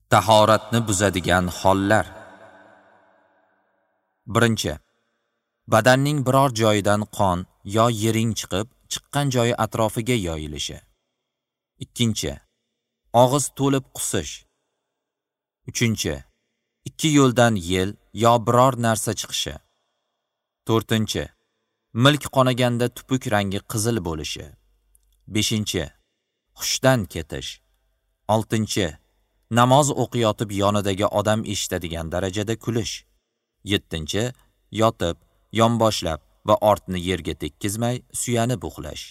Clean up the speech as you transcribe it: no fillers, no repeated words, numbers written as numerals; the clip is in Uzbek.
Tahoratni buzadigan hollar. Birinchi. Badanning biror joyidan qon yo yiring chiqib, chiqqan joyi atrofiga yoyilishi. Ikkinchi. Og'iz to'lib qusish. Uchinchi. Ikki yo'ldan yel yo biror narsa chiqishi. To'rtinchi. Milk qonaganda tupuk rangi qizil bo'lishi. Beshinchi. Hushdan ketish. Oltinchi. Namoz o'qiyotib yonidagi odam eshitadigan darajada kulish. Yettinchi. Yotib, yonboshlab va ortni yerga tekkizmay suyanib uxlash.